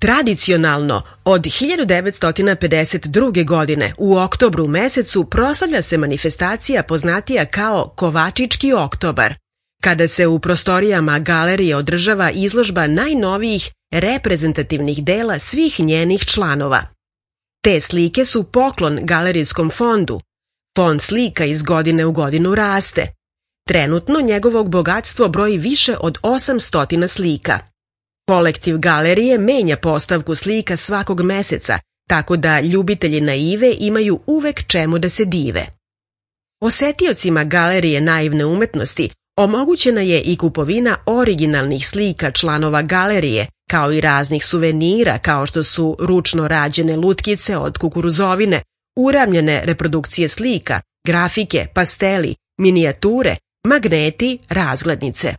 Tradicionalno, od 1952. godine u oktobru mesecu proslavlja se manifestacija poznatija kao Kovačički oktobar, kada se u prostorijama galerije održava izložba najnovijih reprezentativnih dela svih njenih članova. Te slike su poklon galerijskom fondu. Fond slika iz godine u godinu raste. Trenutno njegovog bogatstvo broji više od 800 slika. Kolektiv galerije menja postavku slika svakog meseca, tako da ljubitelji naive imaju uvek čemu da se dive. Posetiocima galerije naivne umetnosti omogućena je i kupovina originalnih slika članova galerije, kao i raznih suvenira kao što su ručno rađene lutkice od kukuruzovine, uramljene reprodukcije slika, grafike, pasteli, minijature, magneti, razglednice.